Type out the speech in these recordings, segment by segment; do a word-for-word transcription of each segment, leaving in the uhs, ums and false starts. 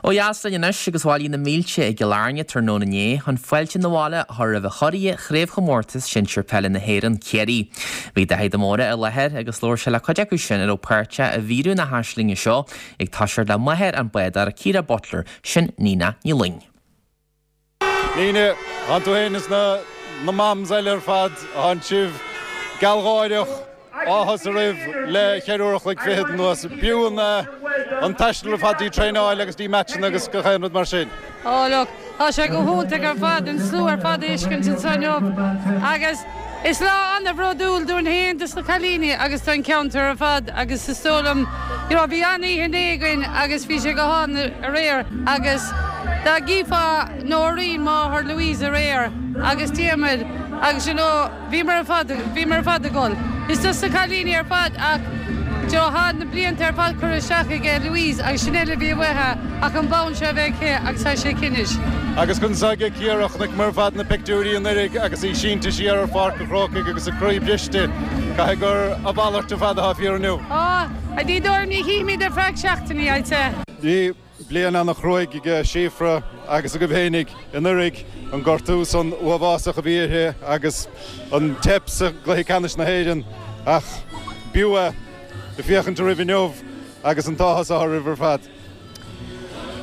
Ó dheas linn anois agus bhailigh na mílte i gCill Airne tráthnóna inné chun fáilte na bhaile a chur roimh churaidh Chraobhchomórtas Sinsir Peile na hÉireann Ciarraí. Bhí Daithí de Mórdha i láthair agus labhair sé le cuid acu sin a raibh páirteach i bhfíorú na haislinge seo ag toiseacht le máthair an bádóra Ciara Butler sin Nina Ní Loing. Nina, tá tú féin is na na mams eile ar fad tá sibh gealgháireach áthas oraibh le ceithre uair a chloig fichead anuas. B'fhiú an an taisteal ar fad dtí traenáil agus dtí matchanna agus gach aon rud mar sin. Ó look, tá sé go hiontach ar fad an slua ar fad a fheiscint inniu agus is lá an-bhródúil dúinn féin dos na cailíní agus don cheantar ar fad agus is dóigh liom you know, bhí an-oíche againn agus bhí sé go han aréir agus dá gcífeá Noreen máthair Louise aréir agus Diarmuid agus you know, bhí mar fad bhí mar fad ggol. Is dus na cailíní ar fad ach Jo tá na blianta ar fad curtha isteach aige Louise agus sin eile bhí uaithe ach an bonn seo bheith aici agus tá sé cinnis. Agus chun saige Ciara chonaic mar fad na pictiúirí an uirig agus í sínte siar ar Pháirc an Chrócaigh agus a croí briste caithfidh gur a mhalairt ar fad atá fíor inniu. Á, a dí dóir ní chímid ar feadh seachtainí aite. Bhí bliain an-chruaidh ag Síofra agus agaibh féinig anuraidh an gortú san uafásach a bhí uirthi agus an teip sa gcluiche ceannais na hÉireann ach b'fhiú é féachaint oraibh inniu agus an t-áthas oraibh ar fad.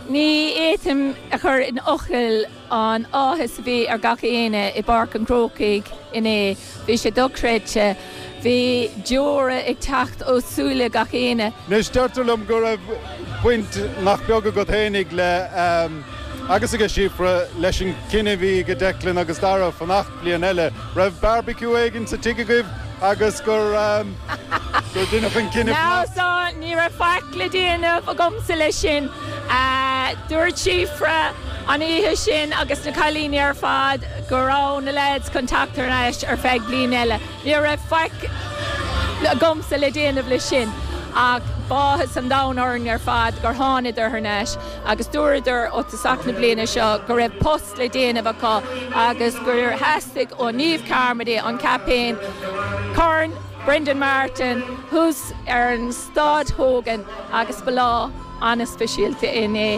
Ní fhéadfainn a chur in fhocail an áthas a bhí ar gach éinne i bPáirc an Chrócaigh inné, bhí sé dochreidte, bhí deora ag teacht ó súile gach éinne. Anois deirtear liom go raibh baint nach beag agat féinig le agus ag Síofra leis an cinneadh a bhí ag Declan agus Dara fanacht bliain eile, raibh barbecue éigin sa tigh agaibh agus gur gur deineadh an cinneadh Ná so ní raibh faic le déanamh agamsa leis sin. Dúirt Síofra an oíche sin agus na cailíní ar fad go raibh na lads chun teacht ar ais ar feadh bliain eile. Ní raibh faic agamsa le déanamh leis sin ach b'áthas an domhain orainn ar fad gur thánadar ar ais agus dúradar ó thosach na bliana seo go raibh post le déanamh acu agus gur theastaigh ó Niamh Carmody an captaen Corn Brendan Martin thuas ar an stáid a thógaint agus ba lá an-speisialta inné.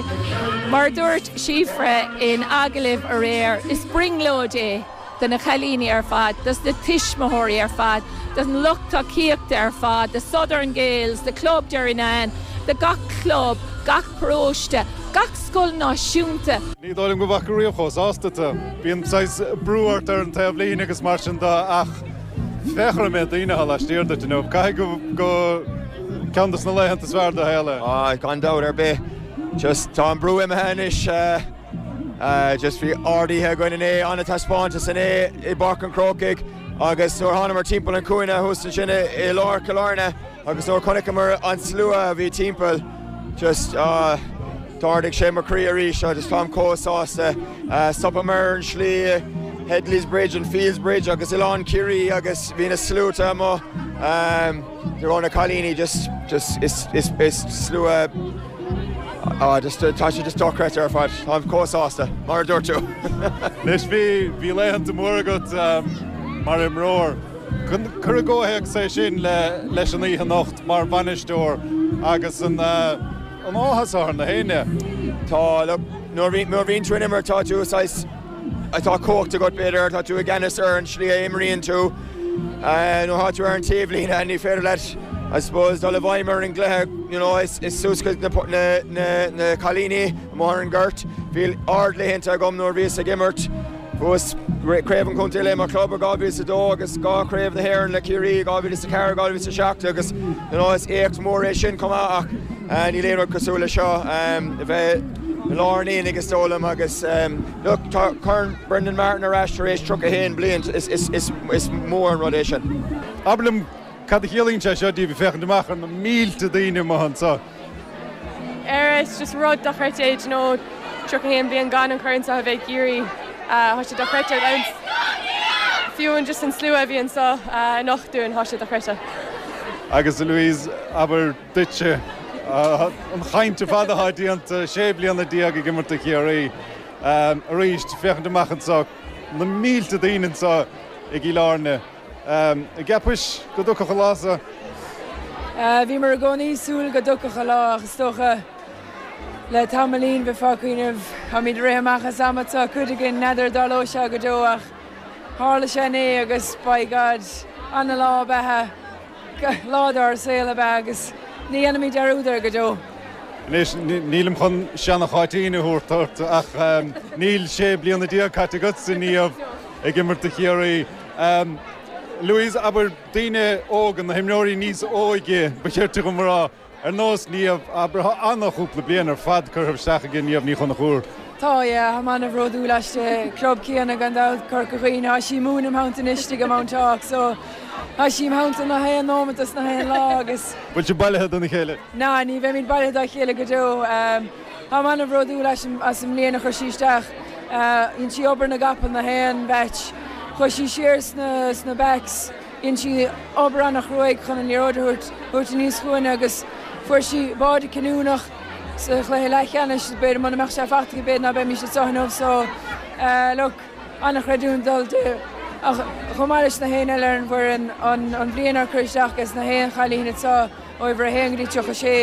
Mar dúirt Síofra in agallamh aréir is brionglóid é do na cailíní ar fad, dos na tuismitheoirí ar fad, don lucht tacaíochta ar fad, the Southern Gaels, the Club Derrynane, de gach club, gach paróiste, gach scoil náisiúnta. Ní dóigh liom go bhfaca riamh chomh sásta tú. Bíonn saghas brú ort ar an taobhlíne agus mar sin de ach féach ar an méid daoine atá laistiar duit inniu. Caithfidh go ceann des na laethanta is fearr do shaol. Á gan dabht ar bith just tá an brú imithe anois uh, just bhí ard-oíche againn inné an-taispeántas inné i bPáirc an Chrócaigh agus nuair thánamar timpeall an chúinne thuas ansin i lár Chill Airne agus nuair chonaiceamar an slua a bhí timpeall just uh, D'ardaigh sé mo chroí arís agus táim chomh sásta uh, stopamar an slí Headley's Bridge and Fields Bridge agus Oileán Ciarraí agus bhí na sluaite amuigh um, raibh na cailíní just just is is is slua ah just tá sé just dochreidte ar fad táim chomh sásta mar a dúirt tú. Anois bhí bhí laethanta mór agat um, mar imreoir. Cuir i gcomhthéacs é sin le leis an oíche anocht mar bhainisteoir agus an uh, an áthas ar na héinne. Tá nuair bhíonn tú ag imirt tá tú atá cumhacht agat b'fhéidir tá tú i gceannas ar an slí a imríonn tú nó tá tú ar an taobhlíne ní féidir leat I suppose dul i bhfeidhm ar an gcluiche you know, is, is suas na, na, na, na cailíní mar an gort. Bhí ardlaethanta agam nuair bhíos ag imirt Bhuas craobh an chontae le mo chlub i dhá mhíle a dó agus dhá chraobh na hÉireann le Ciarraí dhá mhíle a ceathair dhá mhíle a seacht agus you know, is éacht mór é sin chomh maith ach uh, níl aon rud cosúil le seo um, bheith lár an aonaigh is dóigh liom agus um, look, tá Corn Brendan Martin ar ais tar éis tríocha haon bliain is, is, is, is mór an rud é sin. Abair liom cad a chiallaíonn sé seo daoibh féachaint amach ar na mílte daoine amuigh anseo. Ar is just rud dochreidte nó tríocha haon bliain gan an corn seo a bheith Ciarraí tá sé dochreidte fiú an just an slua a bhí anseo anocht dúinn tá sé dochreidte. Agus Louise abair duitse an chaint fada atá déanta sé bliana déag ag imirt do Chiarraí arís féachaint amach anseo na mílte daoine anseo i gCill Airne. An gceapais go dtiocfadh an lá seo? Bhí mar i gcónaí súil go dtiocfadh an lá ach is dócha Le tamaillín bheifeá ag cuimhneamh táimid ag rith amach as am tá cuid againn n'fheadar an dtarlóidh sé go deo ach tharla sé inné agus by God an-lá ab ea lá dár saol ab ea agus ní dhéanfaimid dearúd air go deo. Anois nílim chun seana-Cháitín a thabhairt ort ach níl sé bliana déag caite agatsa Niamh ag imirt do Chiarraí. Louise abair daoine óga na himreoirí níos óige ba chirte go rá ar nós Niamh abair an-chúpla bliain ar fad curtha isteach ag Niamh Ní Chonchúir. Tá yeah, tá an-bhródúil aisti club céanna gan dabht Corca Dhuibhne tá sí múin Mount anois go Mount Hawk, so Tá sí mount na haon nóiméad na haon lá agus. Bhfuil sibh bailithe dona chéile? Ná ní bheimid bailithe dá chéile go deo Tá an-bhródúil as an mbliain a chuir sí isteach dhein sí obair na gcapall na haon match. Chuaigh sí siar sna, sna backs dhein sí obair an-chruaidh chun an liathróid thabhairt aníos chugainne agus fuair sí báide cinniúnach sa chluiche leathcheannais b'fhéidir mura mbeadh sé faighte b'fhéidir ná beimis anseo inniu so uh, look an-chreidiúint dul di ach chomh maith leis na haon eile ar an bhfoireann an, an bhliain ar chuir isteach is na haon chailín atá ó uimhir a haon go dtí tríocha sé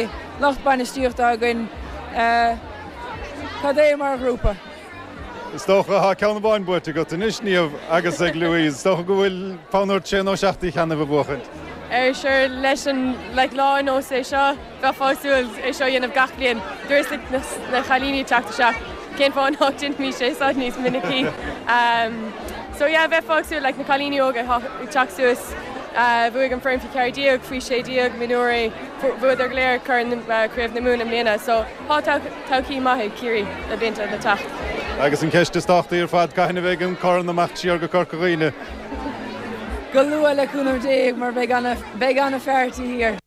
lucht bainistíochta againn uh, cad é mar ghrúpa. Is dócha tá ceann amháin buaite agat anois Niamh agus ag Louise, Is dócha go bhfuil fonn ort sé nó seacht cheana a bhuachaint. Ar sure leis an like, lá nós é seo bheifeá ag súil é seo dhéanamh gach bliain. Dúirt na, na chailíní teacht isteach cén fáth nach ndéanfaimid sé seo níos minicí. Um, so yeah, bheifeá ag súil like, na cailíní óga ag teacht suas uh, bhuaigh an foireann faoi ceathair déag faoi sé déag mionúirí bhuadar go léir corn uh, Craobh na Mumhan i mbliana, so tá todhchaí maith ag Ciarraí le blianta le teacht. Agus an ceist is tábhachtaí ar fad cathain a bheidh an corn amach siar go Corca Dhuibhne. Go luath le cúnamh Dé mar beidh an-pháirtí thiar.